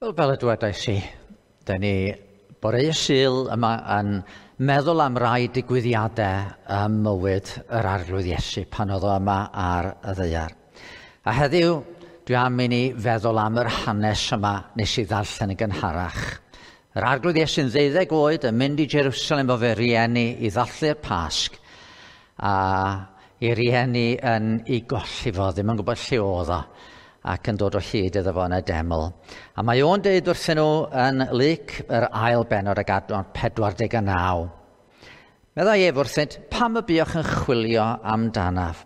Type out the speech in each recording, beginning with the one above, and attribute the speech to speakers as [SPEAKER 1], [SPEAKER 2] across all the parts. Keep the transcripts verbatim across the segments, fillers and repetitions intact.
[SPEAKER 1] Wel, fel y dwedais i, da ni bore Sul yma yn meddwl am rai digwyddiadau ym mywyd yr Arglwydd Iesu pan oedd o yma ar y ddaear. A heddiw, dwi am i ni feddwl am yr hanes yma nes i ddarllen yn gynharach. Yr Arglwydd Iesu'n ddeuddeg oed yn mynd i Jerusalem efo fe rieni i ddathlu'r Pasg, a i rieni yn ei golli fo, ddim yn gwybod lle oedd o, ac yn dod o hyd iddo fo yn y deml. A mae o'n deud wrthyn nhw yn Luc, yr ail bennod ag adnod pedwar deg naw. Meddai ef wrthynt, pam y buoch yn chwilio amdanaf?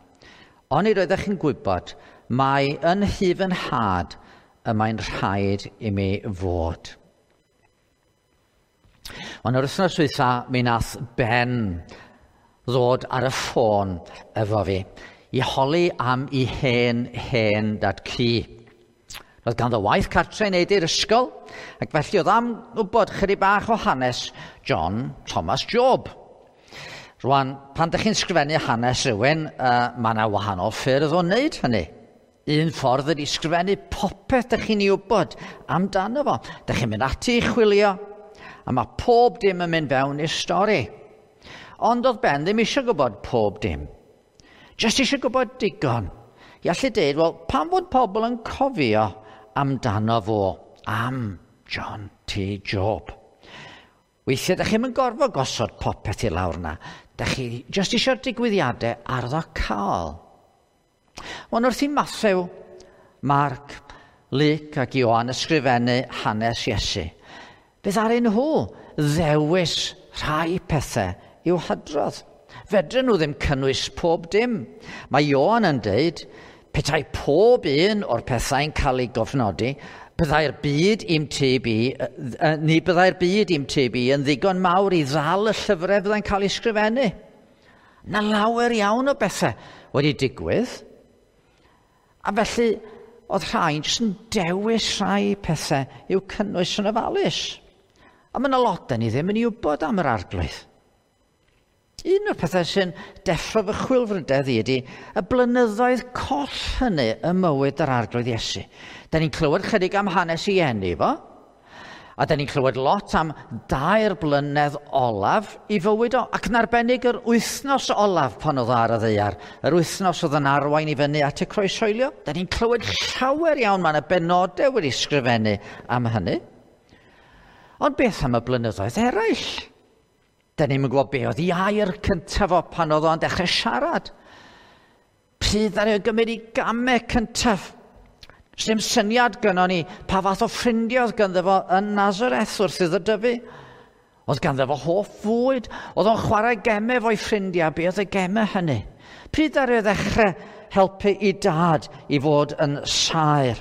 [SPEAKER 1] Onid oeddech chi'n gwybod mai yn nhŷ fy nhad y mae'n rhaid i mi fod. Ond yr wythnos dwytha, mi nath Ben ddod ar y ffôn efo fi i holi am i hen, hen dad cu. Roedd ganddo waith cartre i wneud i'r ysgol, ac felly oedd am wybod chydig bach o hanes John Thomas Job. Rwan, pan ydych chi'n sgrifennu hanes rhywun, uh, mae yna wahanol ffyrdd o wneud hynny. Un ffordd ydy sgrifennu popeth ydych chi'n ei wybod amdano fo. Ydych chi'n mynd ati i chwilio, a mae pob dim yn mynd fewn i'r stori. Ond oedd Ben ddim eisiau gwybod pob dim. Just eisiau gwybod digon. I allu deud, wel, pam fod pobl yn cofio amdano fo, am John T. Job? Weithiau, ydych chi'm yn gorfod gosod popeth i lawr na. Dych chi just eisiau'r digwyddiadau arwyddocaol. Ond wrth i Mathew, Marc, Luc ac Ioan ysgrifennu hanes Iesu, fe ddaru nhw ddewis rhai pethau i'w hadrodd. Fedryn nhw ddim cynnwys pob dim. Mae Ioan yn deud, petai pob un o'r pethau'n cael ei gofnodi, byddai'r byd i'm tyb i, ni byddai'r byd i'm tyb i yn ddigon mawr i ddal y llyfrau fyddai'n cael ei sgrifennu. Na lawer iawn o bethau wedi digwydd. A felly, oedd rhai'n jyst yn dewis rhai pethau i'w cynnwys yn ofalus. A mae yna lot da ni ddim yn ei wybod am yr Arglwydd. Un o'r pethau sy'n deffro fy chwilfrydedd i ydy y blynyddoedd coll hynny ym mywyd yr Arglwydd Iesu. Da ni'n clywed chydig am hanes ei eni fo, a da ni'n clywed lot am dair blynedd olaf i fywyd o, ac yn arbennig yr wythnos olaf pan oedd ar y ddaear, yr wythnos oedd yn arwain i fyny at y croeshoelio. Da ni'n clywed llawer iawn, mae yna benodau wedi sgrifennu am hynny. Ond beth am y blynyddoedd eraill? Da ni'n gwybod be oedd ei air cyntaf o pan oedd o'n dechrau siarad. Pryd ddaru o gymryd ei gamau cyntaf. Does dim syniad gynnon ni pa fath o ffrindiau oedd ganddo fo yn Nazareth wrth iddo dyfu. Oedd ganddo fo hoff fwyd. Oedd o'n chwarae gemau efo'i ffrindiau. Be oedd y gemau hynny? Pryd ddaru o ddechrau helpu i dad i fod yn saer?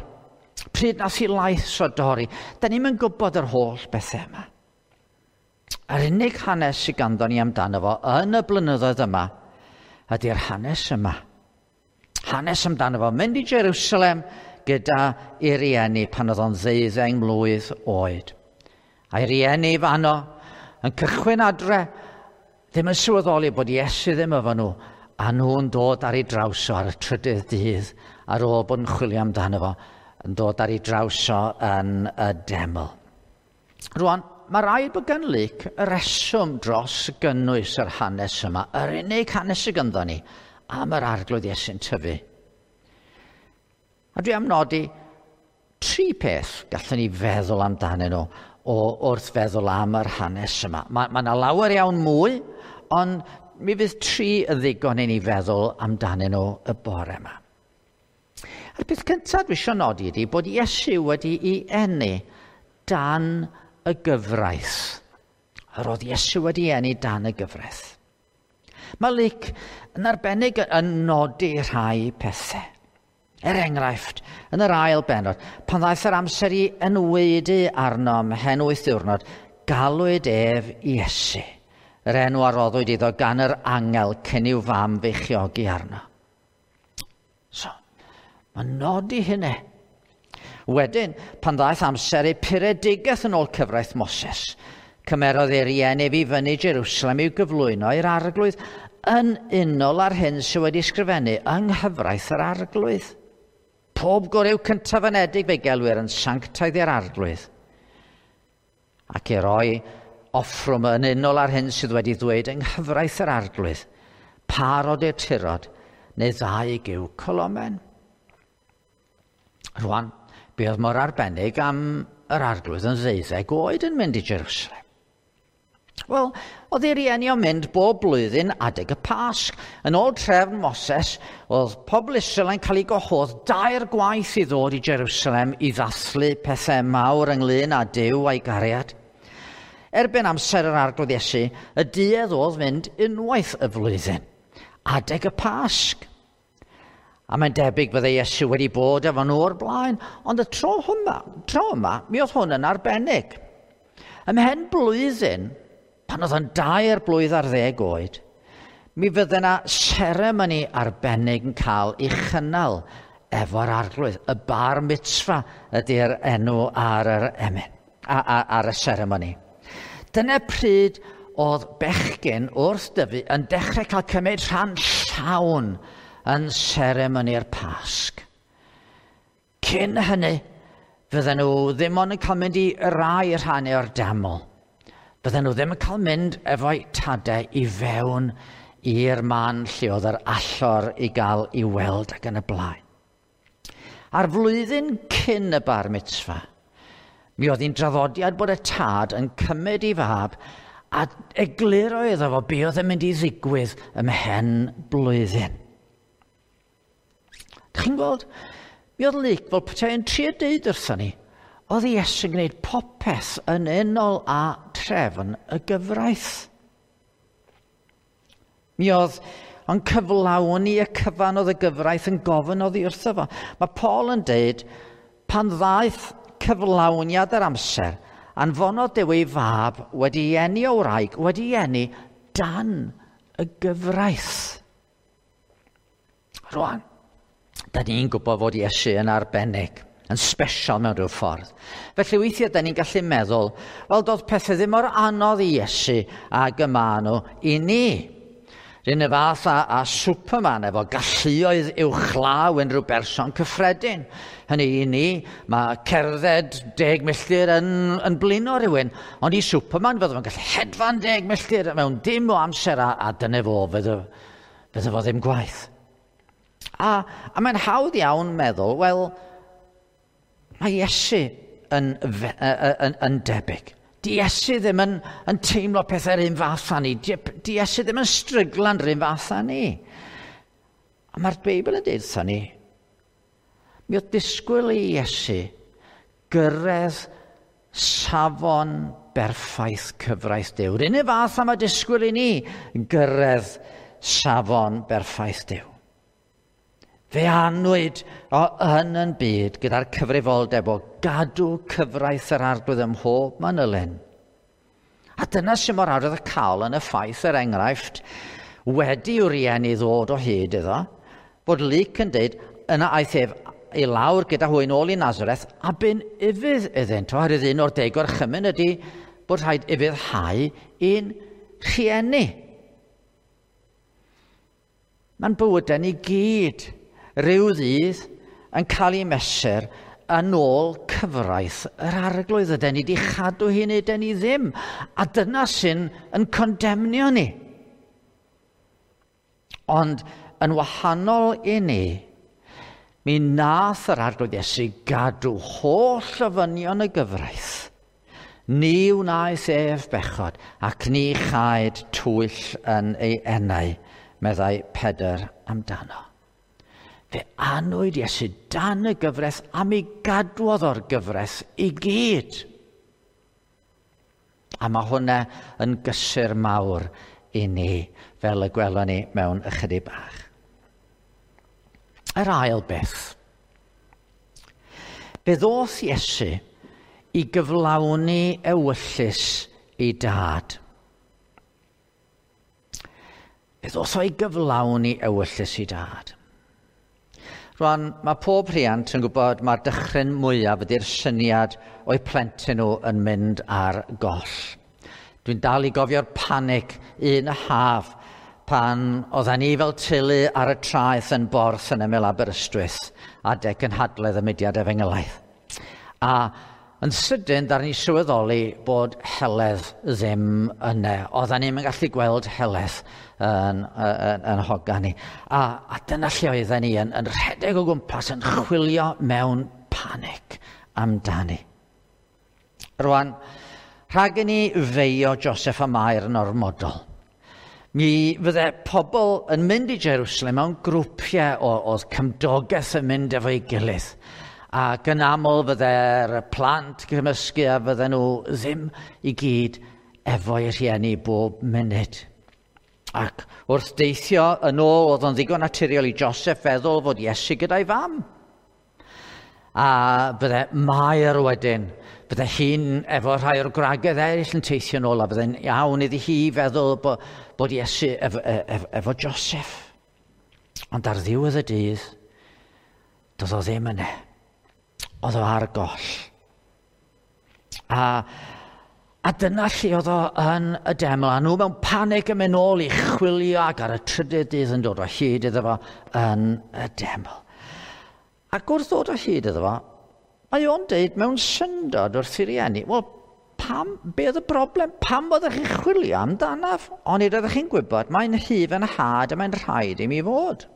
[SPEAKER 1] Pryd nath i lais o dorri? Da ni'm yn gwybod yr holl bethau yma. Yr unig hanes sydd ganddo ni amdano fo yn y blynyddoedd yma ydy'r hanes yma. Hanes amdano fo mynd i Jerusalem gyda ei rieni pan oedd o'n ddeuddeng mlwydd oed. A'i rieni fanno yn cychwyn adre, ddim yn sylweddoli bod Iesu ddim efo nhw, a nhw'n dod ar ei draws o ar y trydydd dydd ar ôl bod yn chwilio amdano fo, yn dod ar ei draws o yn y deml. Rwan, mae rhaid bod gan Luc y reswm dros gynnwys yr hanes yma, yr unig hanes sydd ganddo ni am yr Arglwydd Iesu'n tyfu. A dwi am nodi tri peth gallwn ni feddwl amdanyn nhw o wrth feddwl am yr hanes yma. Mae, mae yna lawer iawn mwy, ond mi fydd tri yn ddigon i ni feddwl amdanyn nhw y bore yma. A'r peth cyntaf dwi eisiau nodi ydy bod Iesu wedi'i eni dan y gyfraith. Yr oedd Iesu wedi eni dan y gyfraith. Mae Luc yn arbennig yn nodi rhai pethau. Er enghraifft, yn yr ail bennod, pan ddaeth yr amser i enwaedu arno ymhen wyth diwrnod, galwyd ef Iesu, yr enw a roddwyd iddo gan yr angel cyn i'w fam feichiogi arno. So, mae'n nodi hynny. Wedyn, pan ddaeth amser ei puredigaeth yn ôl cyfraith Moses, cymerodd ei rieni ef i fyny Jerusalem i'w gyflwyno i'r Arglwydd yn unol â'r hyn sydd wedi sgrifennu yng nghyfraith yr Arglwydd. Pob gwryw cyntaf anedig fe gelwir yn sanctaidd i'r Arglwydd. Ac i roi offrwm yn unol ar hyn sydd wedi ddweud yng nghyfraith yr Arglwydd, parod i'r tirod neu ddau gyw colomen. Rwan, be oedd mor arbennig am yr Arglwydd yn ddeuddeg oed yn mynd i Jerusalem? Wel, oedd ei rieni o'n mynd bob blwyddyn adeg y Pasg. Yn ôl trefn Moses, oedd pobl Israel yn cael ei gwahodd dair gwaith i ddod i Jerusalem i ddathlu pethau mawr ynglyn â Duw a'i gariad. Erbyn amser yr Arglwydd Iesu, y duedd oedd mynd unwaith y flwyddyn, adeg y Pasg. A mae'n debyg bydde Iesu wedi bod efo nhw o'r blaen, ond y tro yma, tro yma, mi oedd hwn yn arbennig. Ymhen blwyddyn, pan oedd yn dair blwydd ar ddeg oed, mi fydde yna seremoni arbennig yn cael ei chynnal efo'r Arglwydd. Y bar mitzvah ydy'r enw ar yr emyn, ar y seremoni. Dyna pryd oedd bechgyn wrth dyfu yn dechrau cael cymryd rhan llawn yn seremoni'r Pasg. Cyn hynny, fydden nhw ddim ond yn cael mynd i rai rhannau o'r deml. Bydden nhw ddim yn cael mynd efo'u tadau i fewn i'r man lle oedd yr allor i gael i weld ac yn y blaen. A'r flwyddyn cyn y bar mitzvah, mi oedd hi'n draddodiad bod y tad yn cymryd ei fab a egluro iddo fo be oedd yn mynd i ddigwydd ymhen blwyddyn. Dych chi'n gweld? Mi oedd Luc fel petai yn trio deud wrthon ni, oedd Iesu'n gwneud popeth yn unol â trefn y gyfraith. Mi oedd o'n cyflawni y cyfan oedd y gyfraith yn gofyn oddi wrtho fo. Mae Paul yn deud, pan ddaeth cyflawniad yr amser, anfonodd Duw ei fab wedi eni o wraig, wedi eni dan y gyfraith. Rwan, da ni'n gwybod fod Iesu yn arbennig, yn special mewn rhyw ffordd. Felly weithiau da ni'n gallu meddwl, wel, doedd pethau ddim mor anodd i Iesu ag y maen nhw i ni. R'un y fath â, â Superman efo galluoedd uwchlaw unrhyw berson cyffredin. Hynny i ni, mae cerdded deg milltir yn, yn blino rhywun, ond i Superman fydde fo'n gallu hedfan deg milltir mewn dim o amser a, a dyna fo, fydde, fydde fo ddim gwaith. A, a mae'n hawdd iawn meddwl, wel, mae Iesu yn, yn, yn debyg. Di Iesu ddim yn, yn teimlo pethau'r un fath â ni. Di, di Iesu ddim yn stryglan yr un fath â ni. A mae'r Beibl yn dweud wrthon ni, mi oedd disgwyl i Iesu gyrraedd safon berffaith cyfraith Duw. Yr un fath â mae disgwyl i ni gyrraedd safon berffaith Duw. Fe anwyd o yn yn byd gyda'r cyfrifoldeb o gadw cyfraith yr Arglwydd ym mhob manylyn. A dyna sy'n mor arwyddocaol yn y ffaith, er enghraifft, wedi i'w rieni ddod o hyd iddo, bod Luc yn dweud, yna aeth ef i lawr gyda hwy nôl i Nazareth a bu'n ufudd iddynt, oherwydd un o'r deg gorchymyn ydy bod rhaid ufuddhau i'n rhieni. Mae'n bywydau ni gyd rhyw ddydd yn cael ei mesur yn ôl cyfraith yr Arglwydd. Yden ni wedi chadw hi neu yden ni ddim. A dyna sy'n yn condemnio ni. Ond yn wahanol i ni, mi nath yr Arglwydd Iesu gadw holl ofynion y gyfraith. Ni wnaeth ef bechod ac ni chaed twyll yn ei enau, meddai Pedr amdano. Fe anwyd Iesu dan y gyfraith a mi gadwodd o'r gyfraith i gyd. A mae hwnna yn gysur mawr i ni, fel y gwelwn ni mewn ychydig bach. Yr ail beth. Fe ddoth Iesu i gyflawni ewyllys ei dad. Fe ddoth o i gyflawni ewyllys ei dad. Rwan, mae pob rhiant yn gwybod mae'r dychryn mwyaf ydy'r syniad o'u plentyn nhw yn mynd ar goll. Dwi'n dal i gofio'r panic un y haf pan oedden ni fel teulu ar y traeth yn Borth yn ymyl Aberystwyth adeg cynhadledd y mudiad efengylaidd. A yn sydyn, ddaru ni sylweddoli bod Heledd ddim yna. Oedden ni'n gallu gweld Heledd yn, yn, yn hogan ni. A, a dyna lle oedden ni yn, yn rhedeg o gwmpas, yn chwilio mewn panic amdani. Rwan, rhag i ni feio Joseph a Mair yn ormodol. Mi fydde pobl yn mynd i Jerusalem mewn grwpiau o, oedd cymdogaeth yn mynd efo'i gilydd. Ac yn aml fydde'r plant gymysgu a fydden nhw ddim i gyd efo'i rhieni bob munud. Ac wrth deithio yn ôl, oedd o'n ddigon naturiol i Joseph feddwl fod Iesu gyda'i fam. A bydde Mair wedyn, bydde hi'n efo rhai o'r gwragedd eraill yn teithio yn ôl, a bydde'n iawn iddi hi feddwl bod, bod Iesu efo, efo, efo Joseph. Ond ar ddiwedd y dydd, doedd o ddim yna. Oedd o ar goll. A, a dyna lle oedd o yn y deml, a nhw mewn panig yn mynd nôl i chwilio, ac ar y trydydd dydd yn dod o hyd iddo fo yn y deml. Ac wrth ddod o hyd iddo fo, mae o'n deud mewn syndod wrth i rieni, wel, pam, be oedd y broblem? Pam oeddech chi'n chwilio amdanaf? Onid oeddech chi'n gwybod, mae'n hyf yn had a mae'n rhaid i mi fod.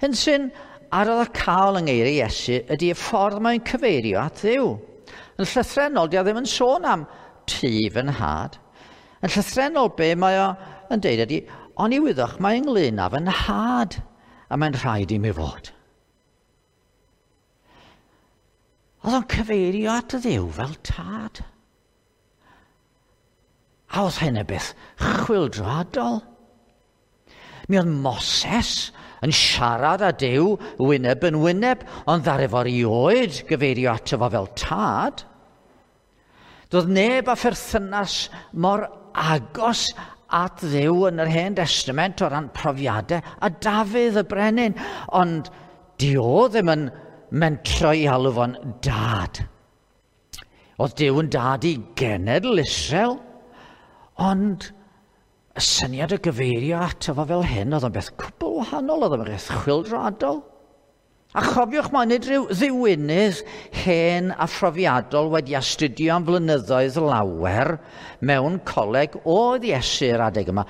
[SPEAKER 1] Hyn sy'n arwyddocaol yng ngeiriau Iesu ydy y ffordd mae'n cyfeirio at Dduw. Yn llythrennol, di o ddim yn sôn am tŷ fy nhad. Yn llythrennol, be mae o yn deud ydy, oni wyddoch mae ynglyn â fy nhad, a mae'n rhaid i mi fod. Oedd o'n cyfeirio at Dduw fel tad. A oedd hyn y beth chwyldroadol. Mi oedd Moses yn siarad â Duw wyneb yn wyneb, ond ddaru fo erioed gyfeirio ato fo fel tad. Doedd neb â pherthynas mor agos at Dduw yn yr Hen Testament o ran profiadau a Dafydd y brenin, ond di o ddim yn mentro i alw fo'n dad. Oedd Duw yn dad i genedl Israel, ond y syniad o gyfeirio ato fo fel hyn oedd o'n beth cwbl wahanol, oedd o'n beth chwyldroadol. A chofiwch, mae nid rhyw ddiwinydd hen a phrofiadol wedi astudio am flynyddoedd lawer mewn coleg oedd Iesu'r adeg yma,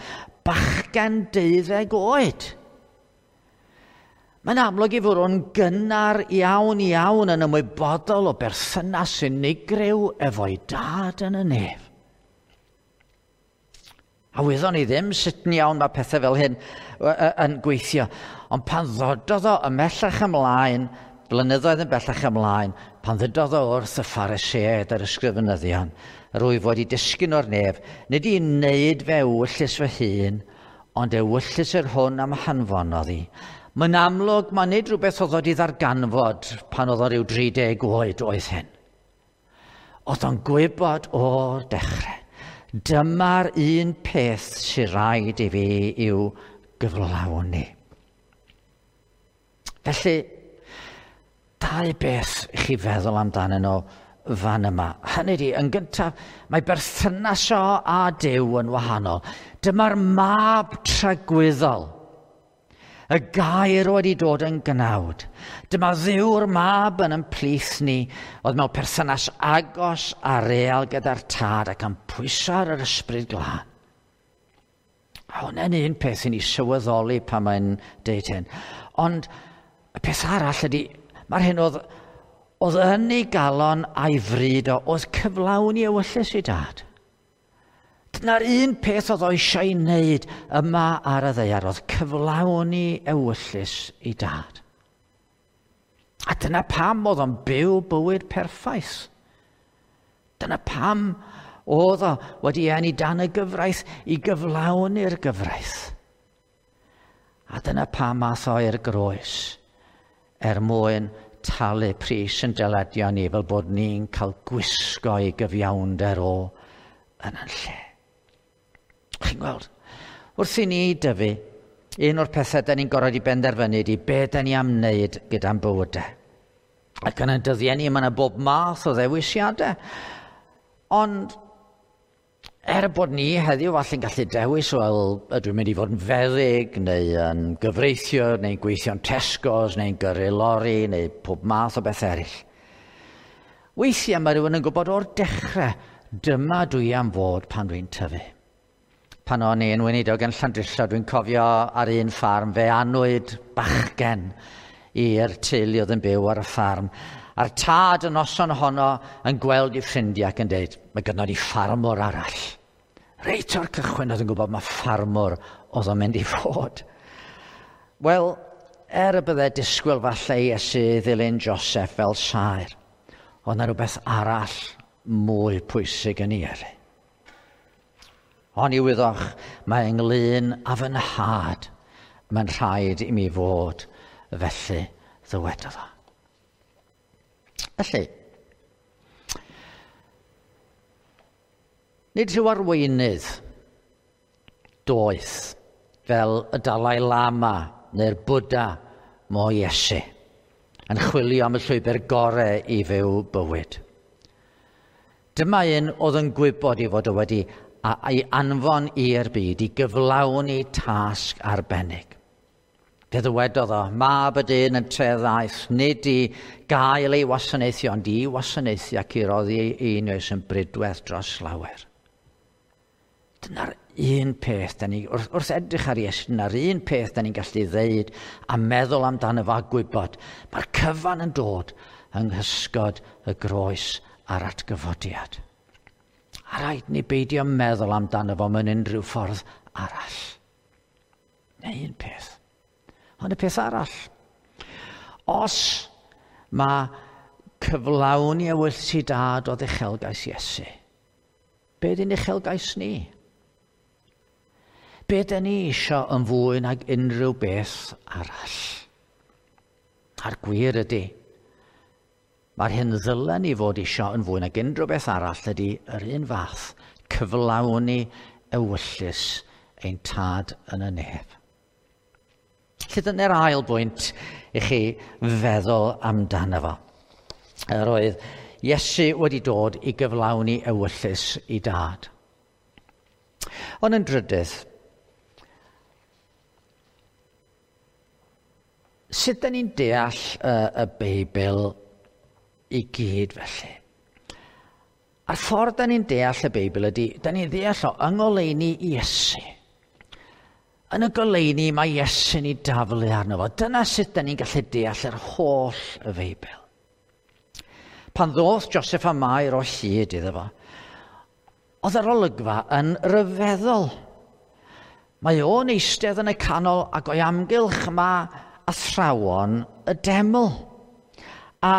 [SPEAKER 1] bachgen deuddeg oed. Mae'n amlwg i fod o'n gynnar iawn iawn yn ymwybodol o berthynas unigryw efo'i dad yn y nef. A wyddon ni ddim sut yn iawn mae pethau fel hyn yn gweithio. Ond pan ddododd o ymhellach ymlaen, blynyddoedd yn bellach ymlaen, pan ddododd o wrth y Phariseaid a'r ysgrifenyddion, rwyf wedi disgyn o'r nef, nid i wneud fe ewyllys fy hun, ond ewyllys yr hwn am hanfonodd i. Mae'n amlwg, mae nid rhywbeth oedd wedi ddarganfod pan oedd o ryw dri deg oed oedd hyn. Oedd o'n gwybod o'r dechrau. Dyma'r un peth sy'n rhaid i fi i'w gyflawni. Felly, dau beth i chi feddwl amdanyn nhw fan yma. Hynny ydi, yn gyntaf, mae berthynas o a Duw yn wahanol. Dyma'r mab tragwyddol. Y gair wedi dod yn gnawd. Dyma Dduw'r mab yn ymplith ni, oedd mewn perthynas agos a real gyda'r tad ac yn pwyso ar yr ysbryd glân. A hwnna'n un peth i ni sylweddoli pan mae'n deud hyn. Ond y peth arall ydy, mae'r hyn oedd, oedd yn ei galon a'i fryd o, oedd cyflawni ewyllys i dad. Dyna'r un peth oedd o eisiau ei wneud yma ar y ddaear, oedd cyflawni ewyllys i dad. A dyna pam oedd o'n byw bywyd perffaith. Dyna pam oedd o wedi eni dan y gyfraith i gyflawni'r gyfraith. A dyna pam ath o i'r groes er mwyn talu pris yn dyledion ni fel bod ni'n cael gwisgo i gyfiawnder o yn yn lle. Chi'n gweld, wrth i ni dyfu, un o'r pethau da ni'n gorfod i benderfynu ydy be da ni am wneud gyda'n bywydau. Ac yn y dyddiau ni, mae yna bob math o ddewisiadau. Ond Er bod ni heddiw falle'n gallu dewis, wel, ydw i'n mynd i fod yn feddyg, neu yn gyfreithiwr, neu'n gweithio'n Tesco's, neu'n gyrru lori, neu pob math o beth eraill. Weithiau mae rhywun yn gwybod o'r dechrau, dyma dwi am fod pan dwi'n tyfu. Pan o'n i'n weinidog yn Llandrillo, dwi'n cofio ar un ffarm, fe anwyd bachgen i'r teulu oedd yn byw ar y ffarm. A'r tad y noson honno yn gweld ei ffrindiau ac yn dweud, mae gynnon ni ffarmwr arall. Reit o'r cychwyn oedd yn gwybod mae ffarmwr oedd o'n mynd i fod. Wel, er y bydde disgwyl falle i Iesu ddilyn Joseph fel saer, oedd yna rhywbeth arall mwy pwysig yn ei yrru. Ond i wyddoch, mae ynglyn â fy nhad, mae'n rhaid i mi fod felly, ddywedodd o. Felly, nid rhyw arweinydd doeth fel y Dalai Lama neu'r Buddha mo Iesu yn chwilio am y llwybr gorau i fyw bywyd. Dyma un oedd yn gwybod i fod o wedi ei anfon i'r byd i gyflawni tasg arbennig. Fe ddywedodd o, mab y dyn yn treddaeth, nid i gael ei wasanaethu, ond i wasanaethu ac i roddi ei einioes yn brydwerth dros lawer. Dyna'r un peth, da ni, wrth, wrth edrych ar Iesu, dyna'r un peth da ni'n gallu ddeud a meddwl amdano fo a gwybod. Mae'r cyfan yn dod yng nghysgod y groes a'r atgyfodiad. A rhaid ni beidio meddwl amdano fo mewn unrhyw ffordd arall. Neu un peth. Ond y peth arall, os mae cyflawni ewyllys i dad oedd uchelgais Iesu, be ydy'n uchelgais ni? Be dyn ni isio yn fwy nag unrhyw beth arall? A'r gwir ydy, mae'r hyn ddylen ni fod isio yn fwy nag unrhyw beth arall ydy yr un fath, cyflawni ewyllys ein tad yn y nef. Felly dyna'r ail bwynt i chi feddwl amdano fo. Yr oedd Iesu wedi dod i gyflawni ewyllys i dad. Ond yn drydydd, sut dan ni'n deall y, y Beibl i gyd felly? A'r ffordd dan ni'n deall y Beibl ydy, dan ni'n deall o yng ngoleuni Iesu. Yn y goleuni mae Iesu'n ei daflu arno fo. Dyna sut dan ni'n gallu deall yr holl y Feibl. Pan ddoth Joseph a Mair o hyd iddo fo, oedd yr olygfa yn ryfeddol. Mae o'n eistedd yn y canol ac o'i amgylch mae athrawon y deml. A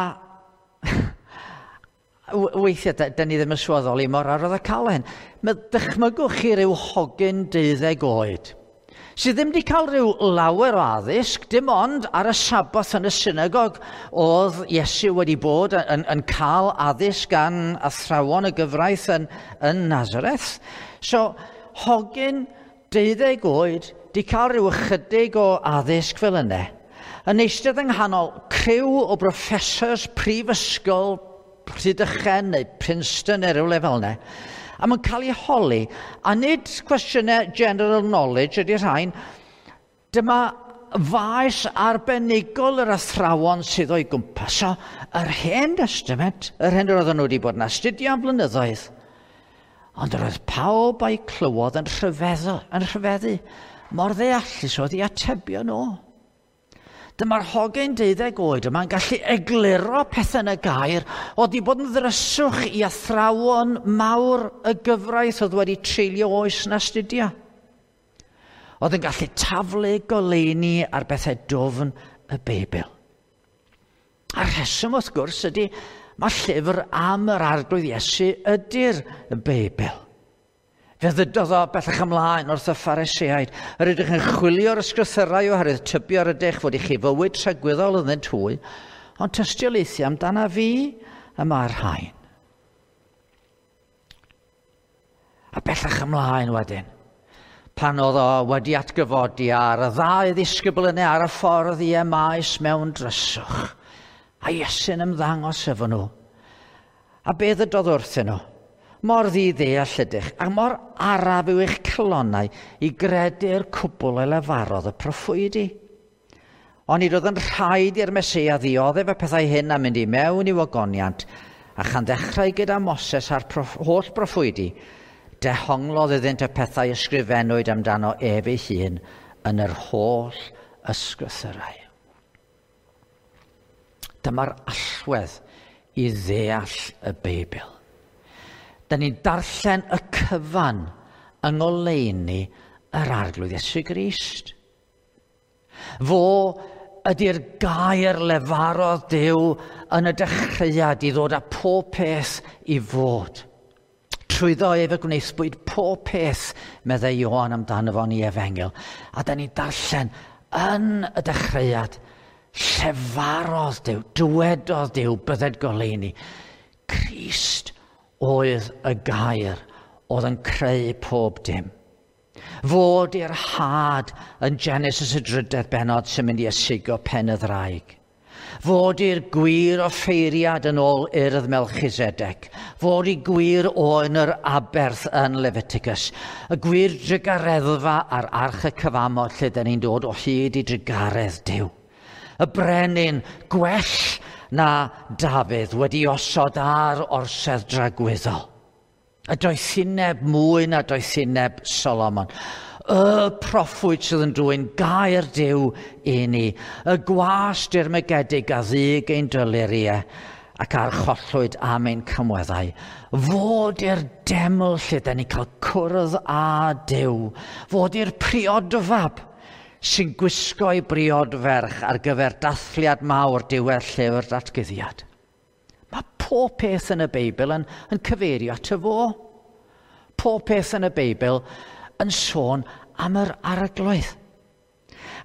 [SPEAKER 1] weithiau, da, da ni ddim yn sylweddoli mor arwydd y cael hyn. Mae dychmygwch chi ryw hogyn deuddeg oed, sydd ddim wedi cael rhyw lawer o addysg, dim ond ar y Saboth yn y synagog oedd Iesu wedi bod yn, yn cael addysg gan athrawon y gyfraith yn, yn Nazareth. So, hogyn deuddeg oed, di cael rhyw ychydig o addysg fel yna, yn eistedd yng nghanol criw o broffesors prifysgol Rhydychen neu Princeton neu rhywle fel yna, a mae'n cael ei holi, a nid cwestiynau general knowledge ydy'r rhain, dyma faes arbenigol yr athrawon sydd o'i gwmpas. So, yr Hen Testament, yr hen yr oedden nhw wedi bod yn astudio am blynyddoedd, ond yr oedd pawb a'i clywodd yn rhyfeddu, yn rhyfeddu, mor ddeallus oedd i atebio nhw. Dyma'r hogyn deuddeg oed yma'n gallu egluro pethau yn y gair oedd wedi bod yn ddryswch i athrawon mawr y gyfraith oedd wedi treulio oes yn astudio. Oedd yn gallu taflu goleuni ar bethau dwfn y Beibl. A'r rheswm wrth gwrs ydy, mae llyfr am yr Arglwydd Iesu ydy'r Beibl. Fe ddydodd o bellach ymlaen wrth y Phariseaid. Yr ydych yn chwilio'r ysgrythyrau oherwydd tybio yr ydych fod i chi fywyd tragwyddol ynddynt hwy, ond tystiolaethu amdana fi y mae'r rhain. A bellach ymlaen wedyn, pan oedd o wedi atgyfodi ar y ddau ddisgybl yna ar y ffordd i Emaus mewn dryswch, a Iesu'n ymddangos efo nhw. A be ddydodd wrthyn nhw? Mor ddi-ddeall ydych, a mor araf yw eich calonnau i gredu'r cwbl a lefarodd y proffwydi. Ond nid oedd yn rhaid i'r Meseia ddioddef y pethau hyn a mynd i mewn i'w ogoniant, a chan ddechrau gyda Moses a'r proff, holl broffwydi, dehonglodd iddynt y pethau ysgrifennwyd amdano ef ei hun yn yr holl ysgrythurau. Dyma'r allwedd i ddeall y Beibl. Da ni'n darllen y cyfan yng ngoleuni yr Arglwydd Iesu Grist. Fo ydy'r gair lefarodd Duw yn y dechreuad i ddod â pob peth i fod. Trwyddo ef y gwnaethpwyd pob peth, meddai Ioan amdano fo'n ei efengyl. A da ni'n darllen yn y dechreuad, llefarodd Duw, dywedodd Duw, bydded goleuni. Crist oedd y gair oedd yn creu pob dim. Fod i'r had yn Genesis y drydedd bennod sy'n mynd i ysigo pen y ddraig. Fod i'r gwir offeiriad yn ôl urdd Melchisedec. Fod i gwir oen yr aberth yn Leviticus. Y gwir drugareddfa ar arch y cyfamod lle dyn ni'n dod o hyd i drugaredd Duw. Y brenin gwell na Dafydd wedi osod ar orsedd dragwyddol. Y doethineb mwy na doethineb Solomon. Y proffwyd sydd yn dwyn gair Duw i ni. Y gwas dirmygedig a ddyg ein dyluriau ac archollwyd am ein cymweddau. Fod i'r deml lle da ni'n cael cwrdd â Duw. Fod i'r priodfab sy'n gwisgo ei briodferch ar gyfer dathliad mawr diwedd llyfr datguddiad. Mae pob peth yn y Beibl yn, yn cyfeirio at y fo. Pob peth yn y Beibl yn sôn am yr Arglwydd.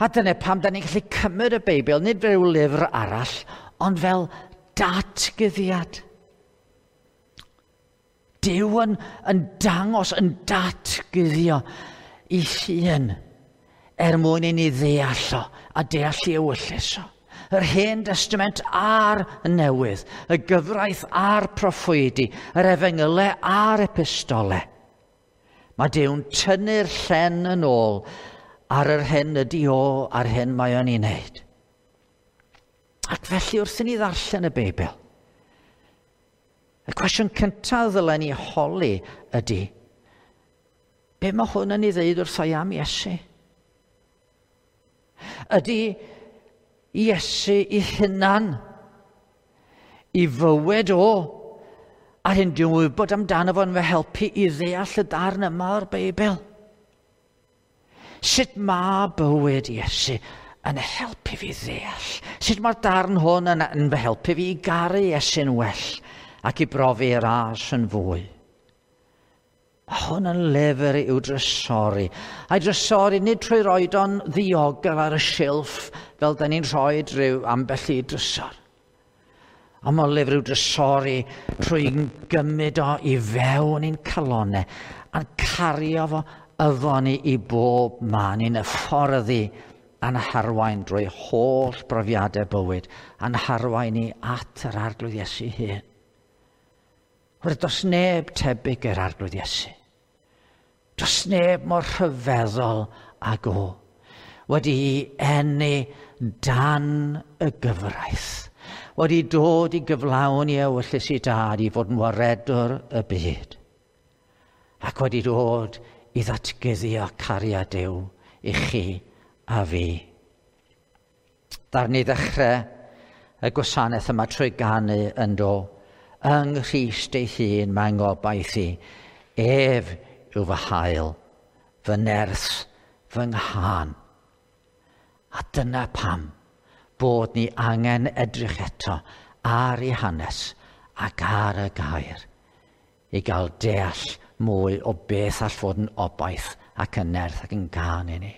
[SPEAKER 1] A dyna pam da ni'n gallu cymryd y Beibl, nid fel rhyw lyfr arall, ond fel datguddiad. Duw yn, yn dangos, yn datguddio i hun er mwyn i ni ddeall o a deall i ewyllys o. Yr Hen Testament a'r Newydd, y gyfraith a'r proffwydi, yr efengylau a'r epistolau. Mae Duw'n tynnu'r llen yn ôl ar yr hyn ydi o a'r hyn mae o'n ei wneud. Ac felly wrth i ni ddarllen y Beibl, y cwestiwn cyntaf ddylen ni holi ydy, be mae hwn yn ei ddeud wrtho i am Iesu? Ydy Iesu ei hunan, i fywyd o, a'r hyn dwi'n wybod amdano fo'n fy helpu i ddeall y darn yma o'r Beibl? Sut mae bywyd Iesu yn helpu fi ddeall? Sut mae'r darn hwn yn, yn fy helpu fi i garu Iesu'n well ac i brofi ras yn fwy? Mae hwn yn lyfr i'w drysori. A'i drysori nid trwy roed o'n ddiogel ar y silff fel da ni'n rhoi rhyw ambell i drysor. Ond mae'n lyfr i'w drysori trwy gymryd o i fewn i'n calonnau a'n cario fo efo ni i bob man, i'n hyfforddi a'n harwain drwy holl brofiadau bywyd, a'n harwain ni at yr Arglwydd Iesu hun. Oherwydd does neb tebyg i'r Arglwydd Iesu. Does neb mor rhyfeddol ag o, wedi'i eni dan y gyfraith, wedi dod i gyflawn i ewyllys i dad i fod yn waredwr y byd, ac wedi dod i ddatguddio cariad Duw i chi a fi. Ddaru ni ddechrau y gwasanaeth yma trwy ganu yn do, yng Nghrist ei hun mae'n ngobaith i, ef yw fy hael, fy nerth, fy nghân. A dyna pam bod ni angen edrych eto ar ei hanes ac ar y gair i gael deall mwy o beth all fod yn obaith ac yn nerth ac yn gân i ni.